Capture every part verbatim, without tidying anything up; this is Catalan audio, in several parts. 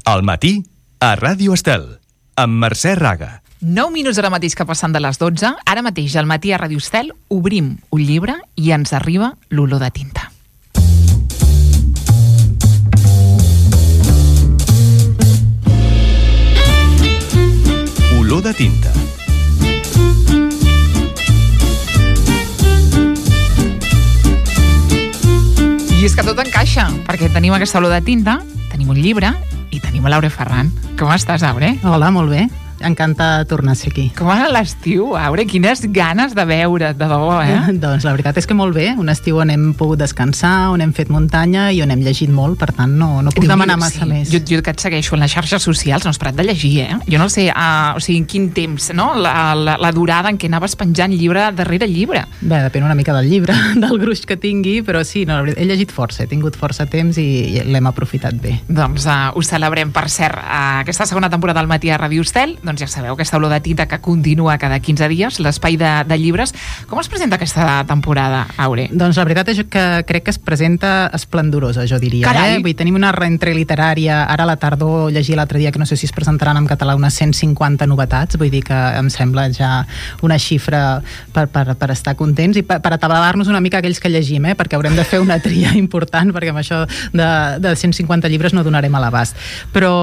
Al matí, a Ràdio Estel, amb Mercè Raga. nou minuts ara mateix que passen de les dotze. Ara mateix, al matí a Ràdio Estel, obrim un llibre i ens arriba l'olor de tinta. Olor de tinta. I és que tot encaixa, perquè tenim aquesta olor de tinta, tenim un llibre i tenim l'Aure Ferran. Com estàs, Aure? Hola, molt bé. Encantada de tornar a ser aquí. Com va l'estiu, Aure? Quines ganes de veure't, de debò, eh? Doncs la veritat és que molt bé. Un estiu on hem pogut descansar, on hem fet muntanya i on hem llegit molt, per tant no, no puc demanar massa sí. més. Jo, jo que et segueixo en les xarxes socials, no has parat de llegir, eh? Jo no sé, uh, o sigui, en quin temps, no? La, la, la durada en què anaves penjant llibre darrere llibre. Bé, depèn una mica del llibre, del gruix que tingui, però sí, no, he llegit força, he tingut força temps i, i l'hem aprofitat bé. Doncs uh, ho celebrem, per cert, uh, aquesta segona temporada del Matí a Ràdio Estel, doncs ja sabeu, aquesta olor de tinta que continua cada quinze dies, l'espai de, de llibres. Com es presenta aquesta temporada, Aure? Doncs la veritat és que crec que es presenta esplendorosa, jo diria. Carai. Eh? Vull dir, tenim una rentrée literària, ara a la tardor llegi l'altre dia que no sé si es presentaran en català unes cent cinquanta novetats, vull dir que em sembla ja una xifra per, per, per estar contents i per, per atabalar-nos una mica aquells que llegim, eh? Perquè haurem de fer una tria important, perquè amb això de, de cent cinquanta llibres no donarem a l'abast. Però,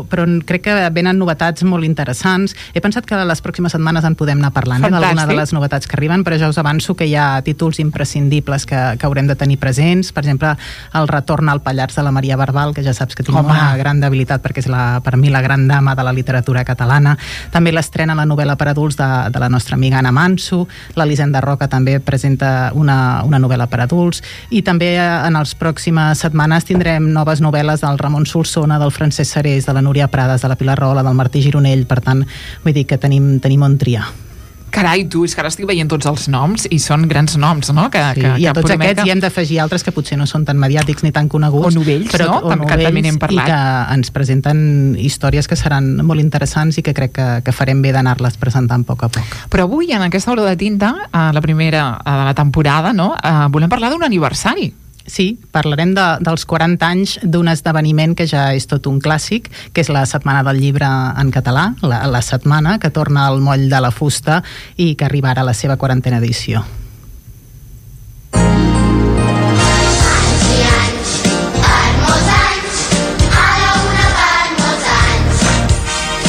però crec que venen novetats molt interessants. He pensat que les pròximes setmanes en podem anar parlant eh, d'alguna de les novetats que arriben, però ja us avanço que hi ha títols imprescindibles que, que haurem de tenir presents. Per exemple, el retorn al Pallars de la Maria Barbal, que ja saps que tinc Home. una gran debilitat perquè és la, per mi la gran dama de la literatura catalana. També l'estrena la novel·la per adults de, de la nostra amiga Anna Manso. L'Elisenda Roca també presenta una, una novel·la per adults. I també en les pròximes setmanes tindrem noves novel·les del Ramon Solsona, del Francesc Serés, de la Núria Prades, de la Pilar Rola, del Martí Gironell. Per tant, vull dir que tenim, tenim on triar. Carai, tu, és que ara estic veient tots els noms i són grans noms, no? Que, sí, que, i a que tots promet... aquests hi hem d'afegir altres que potser no són tan mediàtics ni tan coneguts. O novells, però, no? O Tam, novells, que també n'hem parlat. I que ens presenten històries que seran molt interessants i que crec que, que farem bé d'anar-les presentant a poc a poc. Però avui, en aquesta olor de tinta, a la primera de la temporada, no? Uh, volem parlar d'un aniversari. Sí, parlarem de, dels quaranta anys d'un esdeveniment que ja és tot un clàssic, que és la Setmana del Llibre en català, la, la setmana que torna al moll de la fusta i que arriba ara a la seva quarantena edició.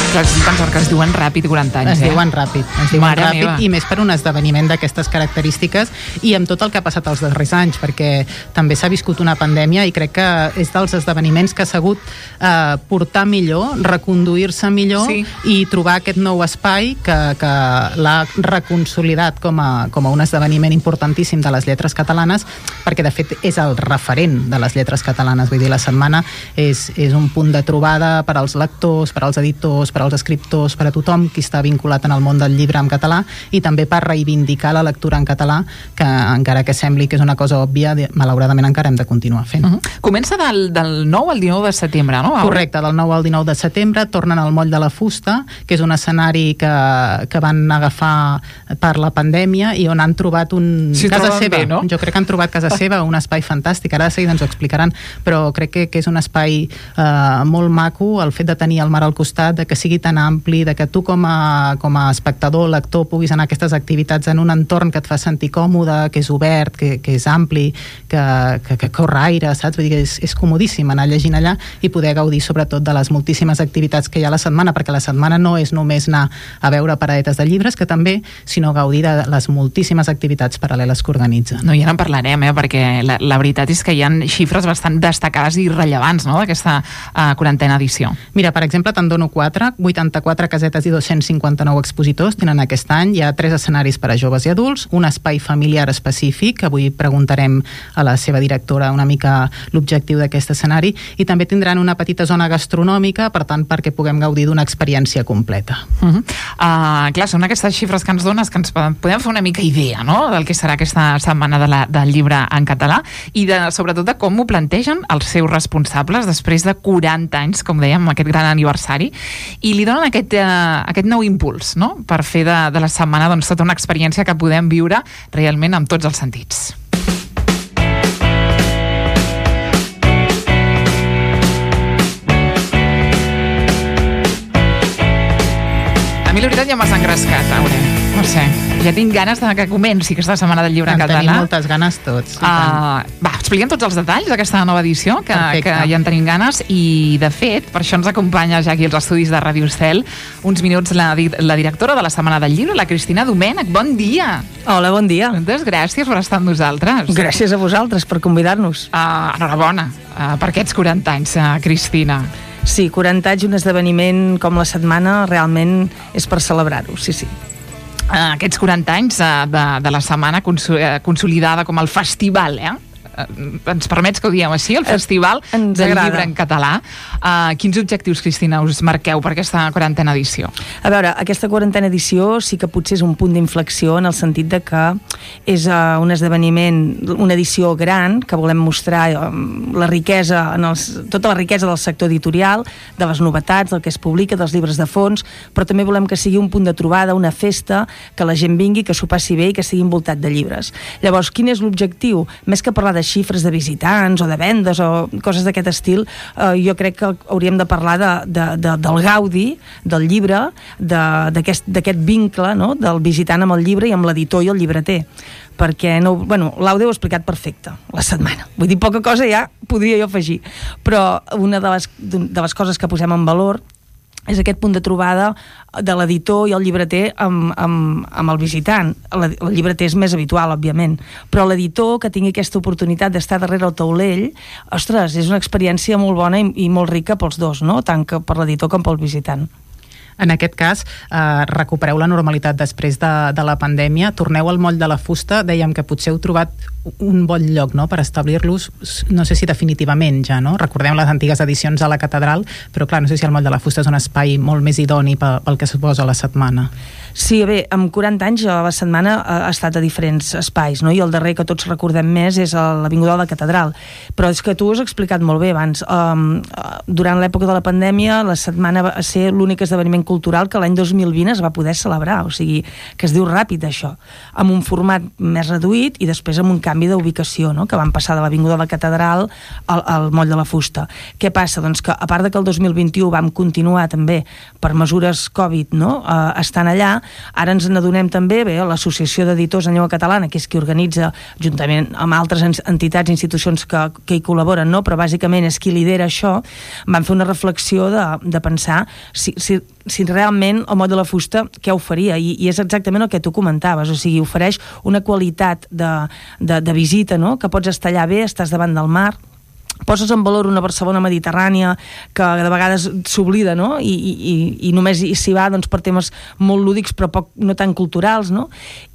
Clar, estic pensant que es diuen ràpid quaranta anys, es eh? diuen ràpid, es diuen Mare ràpid meva. I més per un esdeveniment d'aquestes característiques i amb tot el que ha passat els darrers anys, perquè també s'ha viscut una pandèmia i crec que és dels esdeveniments que ha sabut eh, portar millor, reconduir-se millor sí. i trobar aquest nou espai que, que l'ha reconsolidat com a, com a un esdeveniment importantíssim de les lletres catalanes, perquè de fet és el referent de les lletres catalanes, vull dir, la setmana és, és un punt de trobada per als lectors, per als editors, per als escriptors, per a tothom qui està vinculat en el món del llibre en català i també per reivindicar la lectura en català, que encara que sembli que és una cosa òbvia, malauradament encara hem de continuar fent. Uh -huh. Comença del, del nou al dinou de setembre, no? Correcte, del nou al dinou de setembre tornen al moll de la fusta, que és un escenari que, que van agafar per la pandèmia i on han trobat un... Sí, casa seva, bé, no? Jo crec que han trobat casa seva, un espai fantàstic, ara de seguida ens ho explicaran, però crec que, que és un espai eh, molt maco, el fet de tenir el mar al costat, de que sigui tan ampli, de que tu com a, com a espectador, lector, puguis anar a aquestes activitats en un entorn que et fa sentir còmode, que és obert, que, que és ampli, que, que, que corre aire, saps? Vull dir que és, és comodíssim anar llegint allà i poder gaudir sobretot de les moltíssimes activitats que hi ha a la setmana, perquè la setmana no és només anar a veure paradetes de llibres, que també, sinó gaudir de les moltíssimes activitats paral·leles que organitzen. No, ja en parlarem, eh? Perquè la, la veritat és que hi ha xifres bastant destacades i rellevants, no?, d'aquesta uh, quarantena edició. Mira, per exemple, te'n dono quatre, vuitanta-quatre casetes i dos-cents cinquanta-nou expositors tenen aquest any. Hi ha tres escenaris per a joves i adults, un espai familiar específic, avui preguntarem a la seva directora una mica l'objectiu d'aquest escenari, i també tindran una petita zona gastronòmica, per tant, perquè puguem gaudir d'una experiència completa. Uh -huh. uh, clar, són aquestes xifres que ens dones que ens podem fer una mica idea, no?, del que serà aquesta setmana de la, del llibre en català i de, sobretot de com ho plantegen els seus responsables després de quaranta anys, com dèiem, aquest gran aniversari, i li donen aquest, uh, aquest nou impuls, no?, per fer de, de la setmana doncs, tota una experiència que podem viure realment amb tots els sentits. ja m'has engrescat, Aure. No sé, ja tinc ganes de que comenci aquesta setmana del llibre en, en català. En tenim moltes ganes tots. Uh, va, expliquem tots els detalls d'aquesta nova edició, que, que ja en tenim ganes, i de fet, per això ens acompanya ja aquí als estudis de Ràdio Estel uns minuts la, la directora de la Setmana del Llibre, la Cristina Domènech. Bon dia! Hola, bon dia. Moltes gràcies per estar amb nosaltres. Gràcies a vosaltres per convidar-nos. Uh, enhorabona uh, per aquests quaranta anys, uh, Cristina. Sí, quaranta anys, un esdeveniment com la setmana realment és per celebrar-ho, sí, sí. Uh, aquests quaranta anys uh, de, de la setmana conso uh, consolidada com el festival, eh? Uh, ens permets que ho diguem així, el festival ens del agrada. Llibre en català. Uh, quins objectius, Cristina, us marqueu per aquesta quarantena edició? A veure, aquesta quarantena edició sí que potser és un punt d'inflexió en el sentit de que és uh, un esdeveniment, una edició gran, que volem mostrar uh, la riquesa, en els, tota la riquesa del sector editorial, de les novetats, del que es publica, dels llibres de fons, però també volem que sigui un punt de trobada, una festa, que la gent vingui, que s'ho passi bé i que sigui envoltat de llibres. Llavors, quin és l'objectiu? Més que parlar de xifres de visitants o de vendes o coses d'aquest estil, eh, jo crec que hauríem de parlar de, de, de, del gaudi del llibre, d'aquest vincle, no?, del visitant amb el llibre i amb l'editor i el llibreter, perquè no, bueno, l'Aude ho ha explicat perfecte la setmana, vull dir, poca cosa ja podria jo afegir, però una de les, de les coses que posem en valor és aquest punt de trobada de l'editor i el llibreter amb, amb, amb el visitant. El, el llibreter és més habitual, òbviament, però l'editor que tingui aquesta oportunitat d'estar darrere el taulell, ostres, és una experiència molt bona i, i molt rica pels dos, no?, tant que per l'editor com pel visitant. En aquest cas, eh, recupereu la normalitat després de, de la pandèmia, torneu al moll de la fusta, dèiem que potser heu trobat un bon lloc, no?, per establir-los, no sé si definitivament ja, no? Recordem les antigues edicions a la catedral, però clar, no sé si el moll de la fusta és un espai molt més idoni pel, pel que suposa la setmana. Sí, bé, amb quaranta anys la setmana ha estat a diferents espais, no?, i el darrer que tots recordem més és l'Avinguda de la Catedral, però és que tu ho has explicat molt bé abans. Um, durant l'època de la pandèmia la setmana va ser l'únic esdeveniment cultural que l'any dos mil vint es va poder celebrar, o sigui, que es diu ràpid això, amb un format més reduït i després amb un canvi d'ubicació, no?, que van passar de l'Avinguda de la Catedral al, al Moll de la Fusta. Què passa? Doncs que a part de que el dos mil vint-i-u vam continuar també per mesures Covid, no?, eh, estant allà, ara ens n'adonem també, bé, l'Associació d'Editors en Llengua Catalana, que és qui organitza, juntament amb altres entitats i institucions que, que hi col·laboren, no?, però bàsicament és qui lidera això, van fer una reflexió de, de pensar si, si si realment el Moll de la Fusta què oferia, I, i és exactament el que tu comentaves, o sigui, ofereix una qualitat de, de, de visita, no?, que pots estar allà bé, estàs davant del mar, poses en valor una Barcelona mediterrània que de vegades s'oblida, no?, i, i, i només s'hi va doncs, per temes molt lúdics però poc, no tan culturals, no?,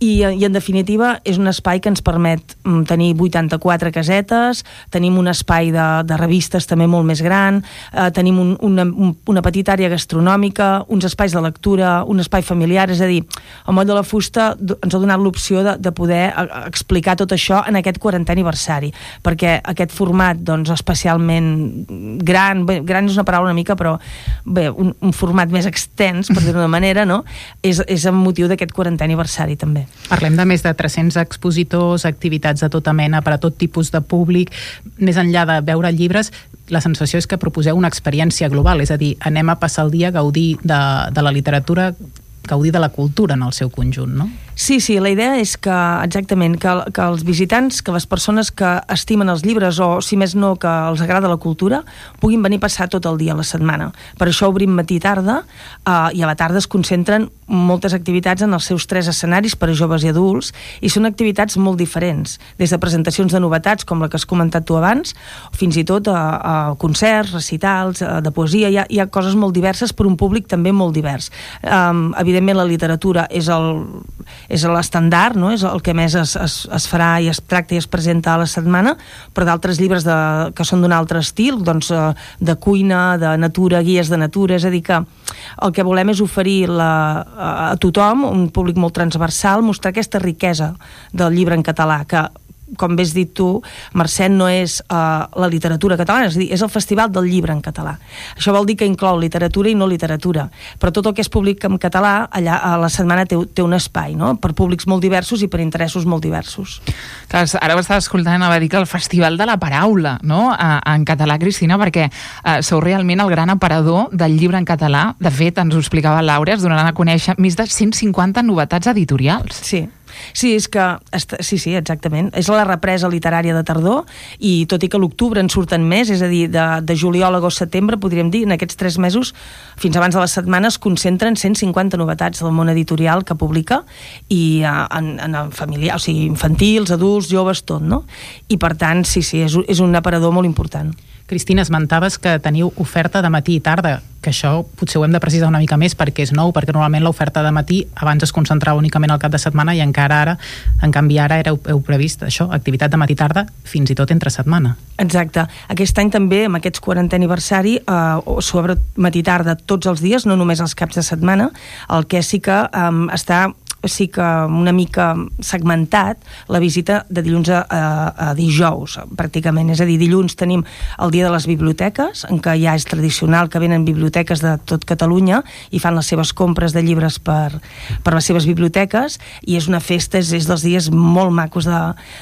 I, i en definitiva és un espai que ens permet tenir vuitanta-quatre casetes, tenim un espai de, de revistes també molt més gran, eh, tenim un, una, un, una petita àrea gastronòmica, uns espais de lectura, un espai familiar, és a dir, el Moll de la Fusta ens ha donat l'opció de, de poder explicar tot això en aquest quarantè aniversari, perquè aquest format, doncs, especialment gran, bé, gran és una paraula una mica, però bé, un, un format més extens, per dir-ho d'una manera, no?, és, és amb motiu d'aquest quarantè aniversari també. Parlem de més de tres-cents expositors, activitats de tota mena per a tot tipus de públic, més enllà de veure llibres, la sensació és que proposeu una experiència global, és a dir, anem a passar el dia a gaudir de, de la literatura, gaudir de la cultura en el seu conjunt, no? Sí, sí, la idea és que, exactament, que, que els visitants, que les persones que estimen els llibres o, si més no, que els agrada la cultura, puguin venir a passar tot el dia a la setmana. Per això obrim matí i tarda, eh, i a la tarda es concentren moltes activitats en els seus tres escenaris per a joves i adults, i són activitats molt diferents, des de presentacions de novetats, com la que has comentat tu abans, fins i tot a, a concerts, recitals, a, de poesia, hi ha, hi ha coses molt diverses per un públic també molt divers. Um, evidentment la literatura és el és l'estandard, no?, és el que més es, es, es farà i es tracta i es presenta a la setmana, però d'altres llibres de, que són d'un altre estil, doncs de cuina, de natura, guies de natura, és a dir que el que volem és oferir la, a tothom, un públic molt transversal, mostrar aquesta riquesa del llibre en català, que com bé has dit tu, Mercè, no és uh, la literatura catalana, és a dir, és el Festival del Llibre en català. Això vol dir que inclou literatura i no literatura, però tot el que és públic en català, allà a la setmana té, té un espai, no?, per públics molt diversos i per interessos molt diversos. Clar, ara ho estava escoltant, anava a dir que el Festival de la Paraula, no?, en català, Cristina, perquè eh, sou realment el gran aparador del llibre en català. De fet, ens ho explicava Laura, es donaran a conèixer més de cent cinquanta novetats editorials. Sí. Sí, és que, sí, sí, exactament. És la represa literària de tardor i tot i que a l'octubre en surten més, és a dir, de, de juliol a agost setembre, podríem dir, en aquests tres mesos, fins abans de la setmana, es concentren cent cinquanta novetats del món editorial que publica i en, en familiar, o sigui, infantils, adults, joves, tot, no? I per tant, sí, sí, és, és un aparador molt important. Cristina, esmentaves que teniu oferta de matí i tarda, que això potser ho hem de precisar una mica més perquè és nou, perquè normalment l'oferta de matí abans es concentrava únicament al cap de setmana i encara ara, en canvi ara heu, heu previst això, activitat de matí i tarda fins i tot entre setmana. Exacte. Aquest any també, amb aquest quarantè aniversari, eh, sobre matí i tarda tots els dies, no només els caps de setmana, el que sí que eh, està sí que una mica segmentat la visita de dilluns a, a, a dijous, pràcticament. És a dir, dilluns tenim el dia de les biblioteques, en què ja és tradicional que venen biblioteques de tot Catalunya i fan les seves compres de llibres per, per les seves biblioteques, i és una festa, és, és dels dies molt macos de,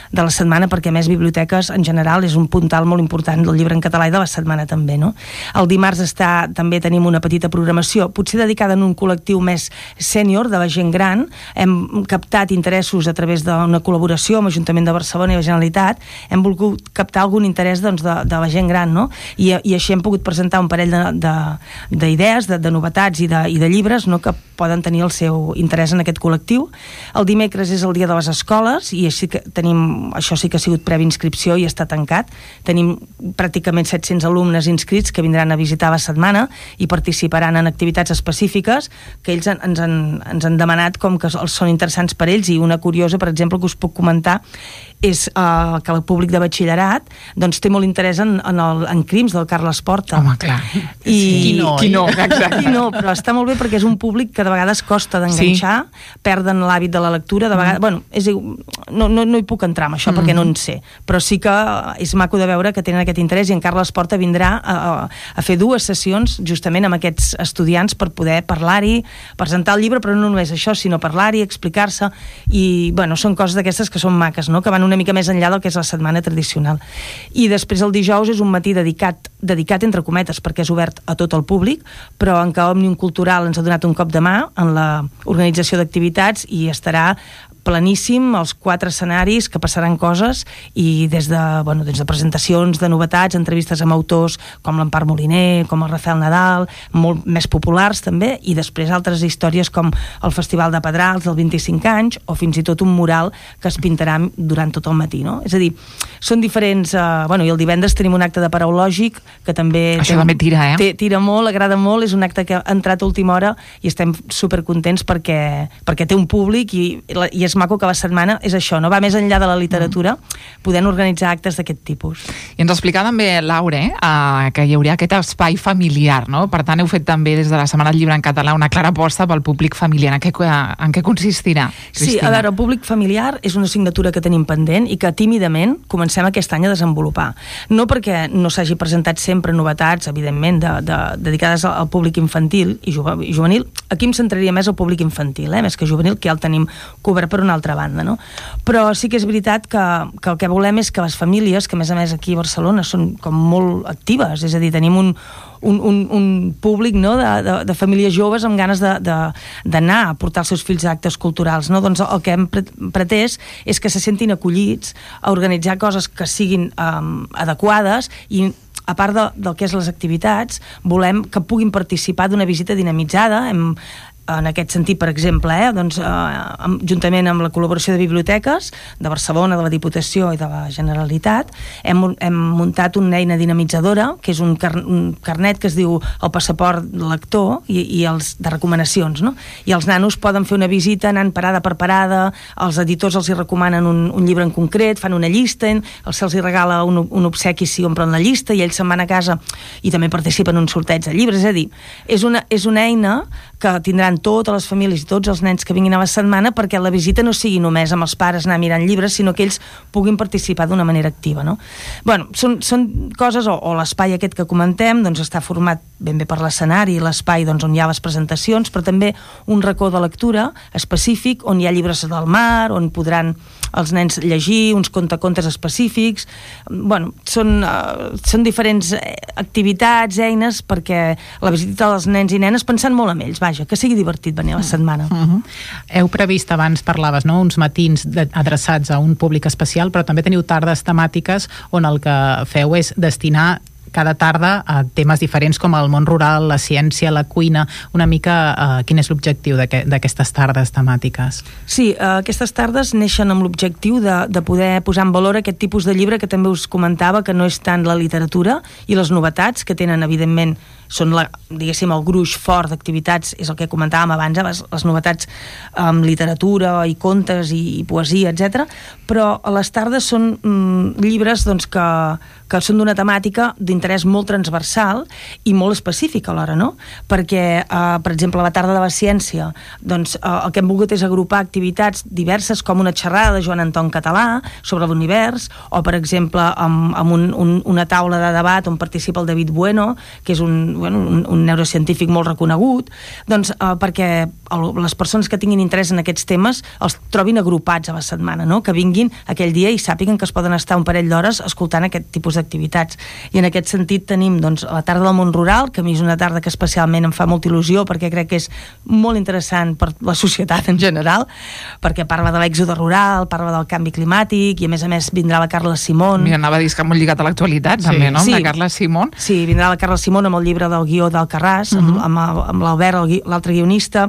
de la setmana, perquè a més biblioteques en general és un puntal molt important del llibre en català i de la setmana també, no? El dimarts està, també tenim una petita programació, potser dedicada en un col·lectiu més sènior, de la gent gran. Hem captat interessos a través d'una col·laboració amb l'Ajuntament de Barcelona i la Generalitat, hem volgut captar algun interès doncs, de, de la gent gran, no? I, i així hem pogut presentar un parell d'idees, de, de, de novetats i de, i de llibres, no?, que poden tenir el seu interès en aquest col·lectiu. El dimecres és el dia de les escoles i així que tenim, això sí que ha sigut previ inscripció i està tancat. Tenim pràcticament set-cents alumnes inscrits que vindran a visitar la setmana i participaran en activitats específiques que ells ens han, ens han demanat com que els són interessants per ells, i una curiosa, per exemple, que us puc comentar és uh, que el públic de batxillerat doncs té molt interès en, en, el, en Crims del Carles Porta. Home, clar. I, qui no, qui no, exacte. Qui no, però està molt bé perquè és un públic que de vegades costa d'enganxar, sí. Perden l'hàbit de la lectura, de vegades, mm. bueno, és, no, no, no hi puc entrar amb això mm. perquè no en sé, però sí que és maco de veure que tenen aquest interès, i en Carles Porta vindrà a, a fer dues sessions justament amb aquests estudiants per poder parlar-hi, presentar el llibre, però no només això, sinó parlar-hi, explicar-se, i bueno, són coses d'aquestes que són maques, no?, que van una mica més enllà del que és la setmana tradicional. I després el dijous és un matí dedicat, dedicat entre cometes, perquè és obert a tot el públic, però en què Òmnium Cultural ens ha donat un cop de mà en la organització d'activitats i estarà planíssim, els quatre escenaris, que passaran coses, i des de, bueno, des de presentacions de novetats, entrevistes amb autors com l'Empar Moliner, com el Rafael Nadal, molt més populars també, i després altres històries com el Festival de Pedrals dels vint-i-cinc anys, o fins i tot un mural que es pintarà durant tot el matí, no? És a dir, són diferents... Eh, bueno, i el divendres tenim un acte de paraulògic que també... Això té, també tira, eh? Té, tira molt, agrada molt, és un acte que ha entrat a última hora i estem supercontents perquè, perquè té un públic i, i és maco que la setmana és això, no? Va més enllà de la literatura, podent organitzar actes d'aquest tipus. I ens explicava també Laura, eh, que hi hauria aquest espai familiar, no? Per tant, heu fet també des de la Setmana del Llibre en Català una clara aposta pel públic familiar. En què, en què consistirà, Cristina? Sí, a veure, el públic familiar és una assignatura que tenim pendent i que tímidament comencem aquest any a desenvolupar. No perquè no s'hagi presentat sempre novetats, evidentment, de, de, dedicades al públic infantil i juvenil. Aquí em centraria més al públic infantil, eh? Més que juvenil, que ja el tenim cobert per una altra banda, no? Però sí que és veritat que, que el que volem és que les famílies, que a més a més aquí a Barcelona són com molt actives, és a dir, tenim un, un, un, un públic, no?, de, de, de famílies joves amb ganes d'anar a portar els seus fills a actes culturals, no? Doncs el que hem pretès és que se sentin acollits a organitzar coses que siguin um, adequades, i a part de, del que és les activitats, volem que puguin participar d'una visita dinamitzada. Hem en aquest sentit, per exemple, eh, doncs, eh, juntament amb la col·laboració de biblioteques de Barcelona, de la Diputació i de la Generalitat, hem, hem muntat una eina dinamitzadora, que és un, car un carnet que es diu el passaport lector i, i els de recomanacions, no? I els nanos poden fer una visita anant parada per parada, els editors els hi recomanen un, un llibre en concret, fan una llista, se'ls hi regala un, un obsequi si omplen la llista, i ells se'n van a casa i també participen en un sorteig de llibres. És a dir, és una, és una eina que tindran convidant totes les famílies i tots els nens que vinguin a la setmana perquè la visita no sigui només amb els pares anar mirant llibres, sinó que ells puguin participar d'una manera activa, no? Bueno, són, són coses, o, o l'espai aquest que comentem, doncs està format ben bé per l'escenari, l'espai doncs, on hi ha les presentacions, però també un racó de lectura específic on hi ha llibres del mar, on podran els nens llegir, uns contacontes específics. Bueno, són, uh, són diferents activitats, eines, perquè la visita dels nens i nenes pensant molt en ells, vaja, que sigui divertit venir a la setmana. Uh -huh. Heu previst, abans parlaves, no?, uns matins de, adreçats a un públic especial, però també teniu tardes temàtiques on el que feu és destinar cada tarda a temes diferents com el món rural, la ciència, la cuina. Una mica uh, quin és l'objectiu d'aquestes tardes temàtiques? Sí, uh, aquestes tardes neixen amb l'objectiu de, de poder posar en valor aquest tipus de llibre que també us comentava, que no és tant la literatura i les novetats, que tenen evidentment són, la, diguéssim, el gruix fort d'activitats, és el que comentàvem abans, eh, les, les novetats amb literatura i contes i, i poesia, etcètera. Però a les tardes són mm, llibres doncs, que, que són d'una temàtica d'interès molt transversal i molt específica alhora, no? Perquè, eh, per exemple, a la tarda de la ciència, doncs, eh, el que hem volgut és agrupar activitats diverses, com una xerrada de Joan Anton Català sobre l'univers, o, per exemple, amb, amb un, un, una taula de debat on participa el David Bueno, que és un bueno, un, un neurocientífic molt reconegut, doncs, eh, perquè el, les persones que tinguin interès en aquests temes els trobin agrupats a la setmana, no? Que vinguin aquell dia i sàpiguen que es poden estar un parell d'hores escoltant aquest tipus d'activitats. I en aquest sentit tenim doncs, la tarda del món rural, que a mi és una tarda que especialment em fa molta il·lusió perquè crec que és molt interessant per la societat en general, perquè parla de l'èxode rural, parla del canvi climàtic, i a més a més vindrà la Carla Simón. Mira, anava a dir que molt lligat a l'actualitat, sí, també, no? Amb sí. la Carla Simón. Sí, vindrà la Carla Simón amb el llibre del guió d'Alcarràs, uh-huh. amb, amb, amb l'Albert, l'altre guionista.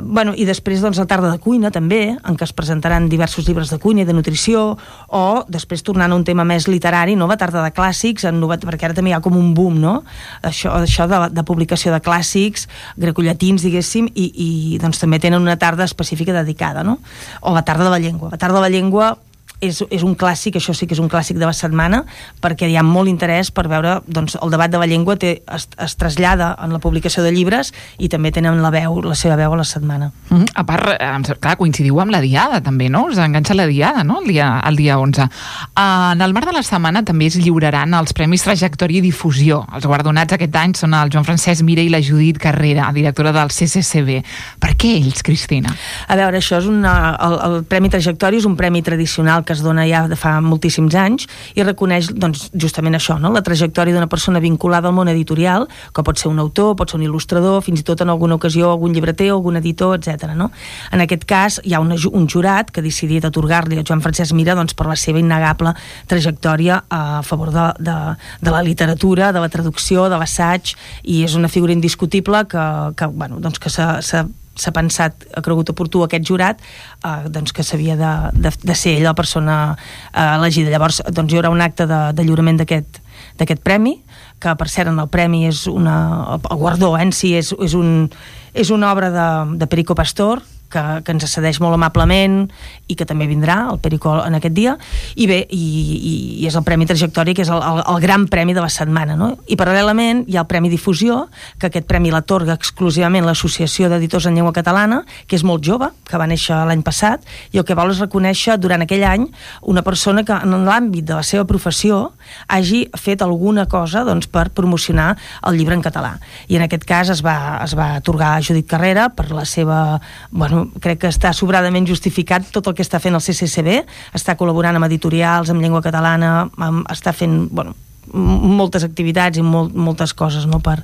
Bueno, i després doncs la tarda de cuina també, en què es presentaran diversos llibres de cuina i de nutrició, o després tornant a un tema més literari, no? La tarda de clàssics, en novet... perquè ara també hi ha com un boom, no? Això, això de, de publicació de clàssics grecollatins, diguéssim, i, i doncs també tenen una tarda específica dedicada, no? O la tarda de la llengua. La tarda de la llengua és, és un clàssic, això sí que és un clàssic de la setmana, perquè hi ha molt interès per veure, doncs, el debat de la llengua té, es, es trasllada en la publicació de llibres i també tenen la veu, la seva veu a la setmana. Mm -hmm. A part, clar, coincidiu amb la diada també, no? Us enganxa la diada, no? El dia, el dia onze. Uh, en el marc de la setmana també es lliuraran els Premis Trajectòria i Difusió. Els guardonats aquest any són el Joan Francesc Mira i la Judit Carrera, directora del C C C B. Per què ells, Cristina? A veure, això és una, el, el Premi Trajectòria és un premi tradicional que es dona ja de fa moltíssims anys i reconeix doncs, justament això, no? La trajectòria d'una persona vinculada al món editorial, que pot ser un autor, pot ser un il·lustrador, fins i tot en alguna ocasió algun llibreter, algun editor, etcètera. No? En aquest cas hi ha una, un jurat que ha decidit atorgar-li a Joan Francesc Mira doncs, per la seva innegable trajectòria a favor de, de, de la literatura, de la traducció, de l'assaig, i és una figura indiscutible que, que, bueno, doncs que s'ha s'ha pensat, ha cregut oportú aquest jurat, eh, doncs que s'havia de, de, de ser ell la persona eh, elegida. Llavors doncs hi haurà un acte de, de lliurament d'aquest d'aquest premi, que per cert en el premi és una, el guardó en si és, és, un, és una obra de, de Perico Pastor, que, que ens cedeix molt amablement i que també vindrà, el Perico, en aquest dia, i bé, i, i, i és el Premi Trajectòria, que és el, el, el gran premi de la setmana, no? I paral·lelament hi ha el Premi Difusió, que aquest premi l'atorga exclusivament l'Associació d'Editors en Llengua Catalana, que és molt jove, que va néixer l'any passat, i el que vol és reconèixer durant aquell any una persona que en l'àmbit de la seva professió hagi fet alguna cosa doncs, per promocionar el llibre en català. I en aquest cas es va, es va atorgar a Judit Carrera per la seva... Bueno, crec que està sobradament justificat tot el que està fent el C C C B, està col·laborant amb editorials, amb llengua catalana, amb, està fent, bueno, moltes activitats i molt, moltes coses, no?, per,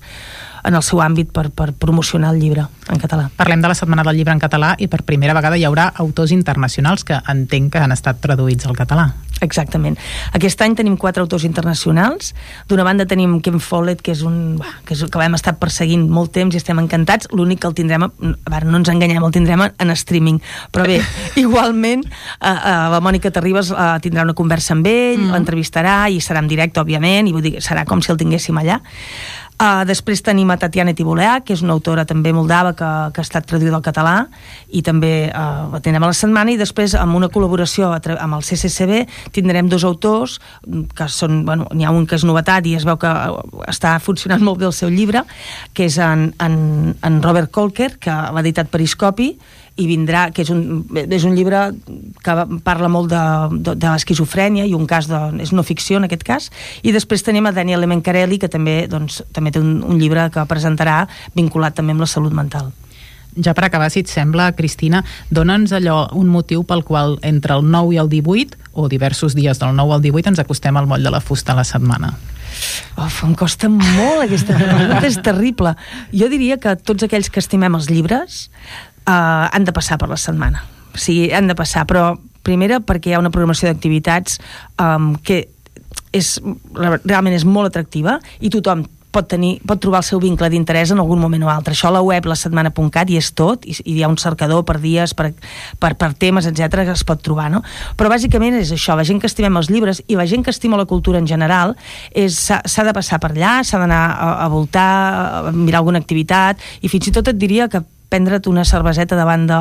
en el seu àmbit per, per promocionar el llibre en català. Parlem de la Setmana del Llibre en català i per primera vegada hi haurà autors internacionals que entenc que han estat traduïts al català. Exactament. Aquest any tenim quatre autors internacionals. D'una banda tenim Ken Follett, que és un que, és, que l'hem estat perseguint molt temps i estem encantats. L'únic que el tindrem, a veure, no ens enganyem, el tindrem en streaming. Però bé, igualment, a, a la Mònica Terribas a, tindrà una conversa amb ell, mm. l'entrevistarà i serà en directe, òbviament, i vull dir, serà com si el tinguéssim allà. Uh, després tenim a Tatiana Tivoleac, que és una autora també moldava que, que ha estat traduïda al català, i també uh, la tindrem a la setmana, i després amb una col·laboració amb el C C C B tindrem dos autors que són, bueno, n'hi ha un que és novetat i es veu que està funcionant molt bé el seu llibre, que és en, en, en Robert Kolker, que l'ha editat Periscopi, i vindrà, que és un, és un llibre que parla molt de, de, de l'esquizofrènia i un cas de, és no ficció en aquest cas, i després tenim a Daniel Lemencarelli, que també, doncs, també té un, un llibre que presentarà vinculat també amb la salut mental. Ja per acabar, si et sembla, Cristina, dona'ns allò un motiu pel qual entre el nou i el divuit, o diversos dies del nou al divuit, ens acostem al moll de la fusta a la setmana. Uf, em costa molt aquesta pregunta, és terrible. Jo diria que tots aquells que estimem els llibres Uh, han de passar per la setmana. O sigui, han de passar, però primera perquè hi ha una programació d'activitats um, que és, realment és molt atractiva i tothom pot, tenir, pot trobar el seu vincle d'interès en algun moment o altre. Això a la web la setmana punt cat hi és tot, i, i hi ha un cercador per dies, per, per, per temes, etcètera, que es pot trobar, no? Però bàsicament és això, la gent que estimem els llibres i la gent que estima la cultura en general s'ha de passar per allà, s'ha d'anar a, a voltar, a mirar alguna activitat, i fins i tot et diria que prendre't una cerveseta davant, de,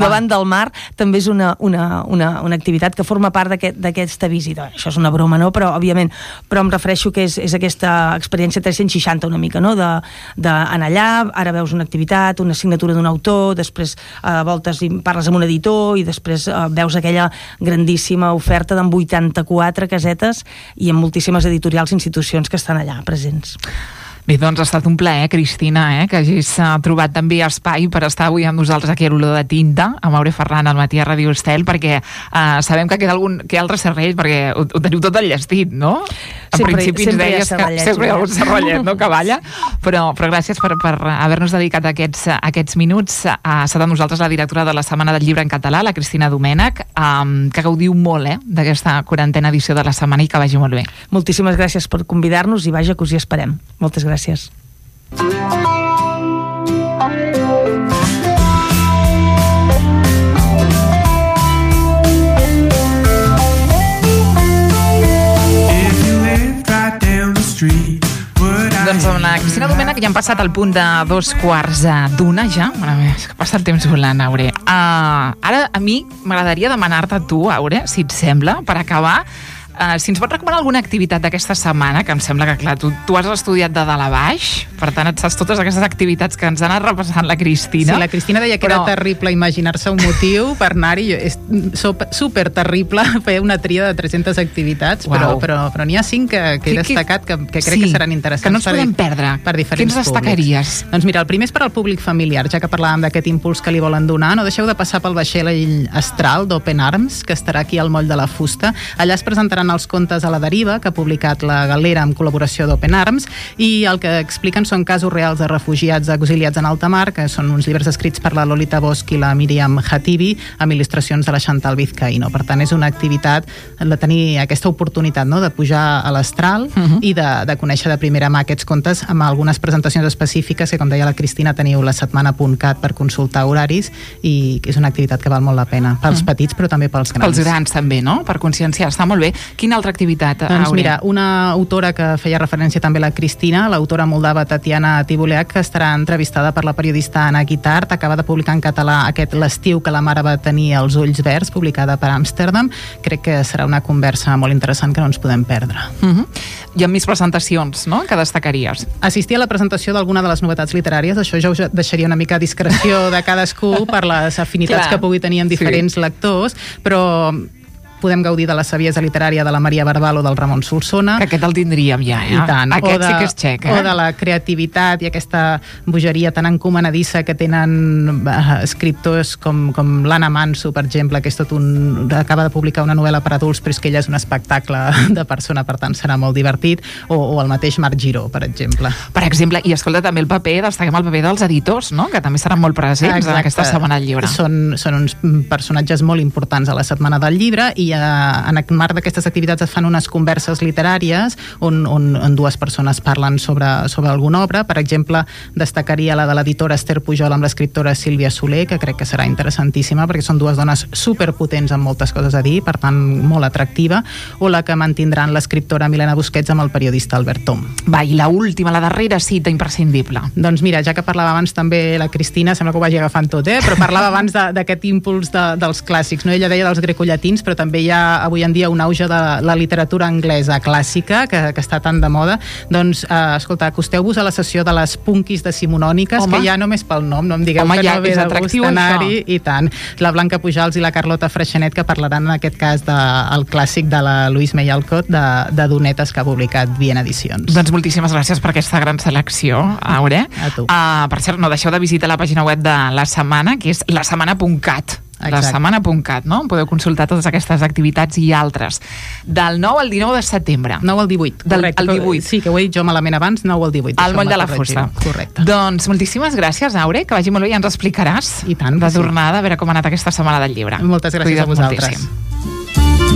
davant del mar també és una, una, una, una activitat que forma part d'aquesta aquest, visita. Això és una broma, no? Però, òbviament, però em refereixo que és, és aquesta experiència tres-cents seixanta una mica, no? D'anar allà, ara veus una activitat, una signatura d'un autor, després eh, voltes i parles amb un editor i després eh, veus aquella grandíssima oferta d'en vuitanta-quatre casetes i amb moltíssimes editorials i institucions que estan allà presents. Bé, doncs ha estat un plaer, Cristina, eh, que hagis uh, trobat també espai per estar avui amb nosaltres aquí a l'Olor de Tinta, amb Aure Ferran al matí a Ràdio Estel, perquè uh, sabem que queda algun que altre serrell, perquè ho, ho teniu tot enllestit, no? En sempre, principi ens deies que sempre hi ha algun serrellet, no?, que balla, però, però gràcies per, per haver-nos dedicat aquests, aquests minuts. Uh, ha estat amb nosaltres la directora de la Setmana del Llibre en Català, la Cristina Domènech, um, que gaudiu molt, eh, d'aquesta quarantena edició de la setmana i que vagi molt bé. Moltíssimes gràcies per convidar-nos i vaja que us hi esperem. Moltes gràcies. Gràcies. Doncs amb la Cristina Domènech ja han passat al punt de dos quarts d'una ja. Bueno, és que passa el temps volant, Aure. Uh, ara a mi m'agradaria demanar-te a tu, Aure, si et sembla, per acabar, Uh, si ens pots recomanar alguna activitat d'aquesta setmana, que em sembla que, clar, tu, tu has estudiat de dalt a baix, per tant, et saps totes aquestes activitats que ens ha anat repassant la Cristina. Sí, la Cristina deia que però... era terrible imaginar-se un motiu per anar-hi. És super terrible fer una tria de tres-centes activitats, wow. però, però, però n'hi ha cinc que, que he destacat que, que crec sí, que seran interessants. Que no ens podem per, perdre. Per diferents Quins destacaries? Públics. Doncs mira, el primer és per al públic familiar, ja que parlàvem d'aquest impuls que li volen donar. No deixeu de passar pel vaixell astral d'Open Arms, que estarà aquí al moll de la fusta. Allà es presentaran els contes a la deriva, que ha publicat la Galera amb col·laboració d'Open Arms, i el que expliquen són casos reals de refugiats exiliats en alta mar, que són uns llibres escrits per la Lolita Bosch i la Míriam Hatibi, amb il·lustracions de la Chantal Vizcaíno. Per tant, és una activitat de tenir aquesta oportunitat, no?, de pujar a l'astral uh -huh. i de, de conèixer de primera mà aquests contes amb algunes presentacions específiques que, com deia la Cristina, teniu la setmana punt cat per consultar horaris, i és una activitat que val molt la pena pels uh -huh. petits, però també pels grans. Pels grans també, no?, per conscienciar. Està molt bé. Quina altra activitat, doncs Aure? Mira, una autora que feia referència també a la Cristina, l'autora moldava Tatiana Tivoleac, que estarà entrevistada per la periodista Anna Guitart, acaba de publicar en català aquest L'estiu que la mare va tenir els ulls verds, publicada per Amsterdam. Crec que serà una conversa molt interessant que no ens podem perdre. Uh -huh. I amb més presentacions, no?, que destacaries? Assistir a la presentació d'alguna de les novetats literàries, això ja us deixaria una mica a discreció de cadascú per les afinitats que pugui tenir amb diferents sí. lectors, però podem gaudir de la saviesa literària de la Maria Barbal o del Ramon Solsona. Que aquest el tindríem ja, eh? I tant. Aquest de, sí que és xec, eh? O de la creativitat i aquesta bogeria tan encomanadissa que tenen uh, escriptors com, com l'Anna Manso, per exemple, que és tot un... acaba de publicar una novel·la per adults, però és que ella és un espectacle de persona, per tant serà molt divertit, o, o el mateix Marc Giró, per exemple. Per exemple, i escolta, també el paper, destaquem el paper dels editors, no?, que també seran molt presents Exacte. En aquesta setmana del llibre. Són, són uns personatges molt importants a la setmana del llibre, i i uh, en el marc d'aquestes activitats es fan unes converses literàries on, on, on dues persones parlen sobre, sobre alguna obra. Per exemple, destacaria la de l'editora Esther Pujol amb l'escriptora Sílvia Soler, que crec que serà interessantíssima perquè són dues dones superpotents amb moltes coses a dir, per tant molt atractiva, o la que mantindran l'escriptora Milena Busquets amb el periodista Albert Tom. Va, i la última, la darrera cita imprescindible. Doncs mira, ja que parlava abans també la Cristina, sembla que ho vagi agafant tot, eh? Però parlava abans d'aquest impuls de, dels clàssics, no? Ella deia dels grecollatins, però també hi ha avui en dia un auge de la literatura anglesa clàssica, que, que està tan de moda. Doncs, eh, escolta, acosteu-vos a la sessió de les punkis decimonòniques, Home. que ja només pel nom, no em digueu Home, que ja no ve és de atractiu, gust anar-hi, això. i tant. La Blanca Pujals i la Carlota Freixenet, que parlaran en aquest cas del clàssic de la Louise May Alcott, de, de Donetes, que ha publicat Viena Edicions. Doncs moltíssimes gràcies per aquesta gran selecció, Aure. A tu. Uh, per cert, no deixeu de visitar la pàgina web de La Setmana, que és la setmana punt cat. La setmana punt cat, no? Podeu consultar totes aquestes activitats i altres. Del nou al dinou de setembre. nou al divuit, Del, correcte. el divuit. Sí, que ho he dit jo malament abans, nou al divuit. Al moll de la corregir-ho. fusta. Correcte. Doncs moltíssimes gràcies, Aure, que vagi molt bé i ens explicaràs I tant, de sí. tornada, a veure com ha anat aquesta setmana del llibre. Moltes gràcies Cuida't a vosaltres. moltíssim.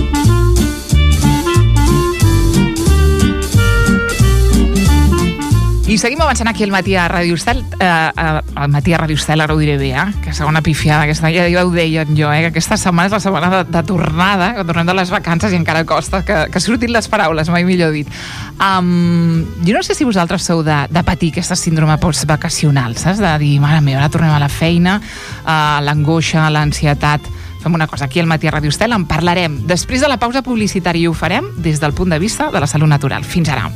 I seguim avançant aquí al matí a Ràdio Estel, eh, eh, al matí a Ràdio Estel, ara ho diré bé, eh? Que segona pifiada, aquesta, ja, ja ho deien jo, eh? Que aquesta setmana és la setmana de, de tornada, que tornem de les vacances i encara costa que, que surtin les paraules, mai millor dit. Um, jo no sé si vosaltres sou de, de patir aquesta síndrome postvacacional, saps? De dir, mare meva, ara tornem a la feina, uh, l'angoixa, l'ansietat. Fem una cosa, aquí al matí a Ràdio Estel en parlarem després de la pausa publicitària i ho farem des del punt de vista de la salut natural. Fins ara.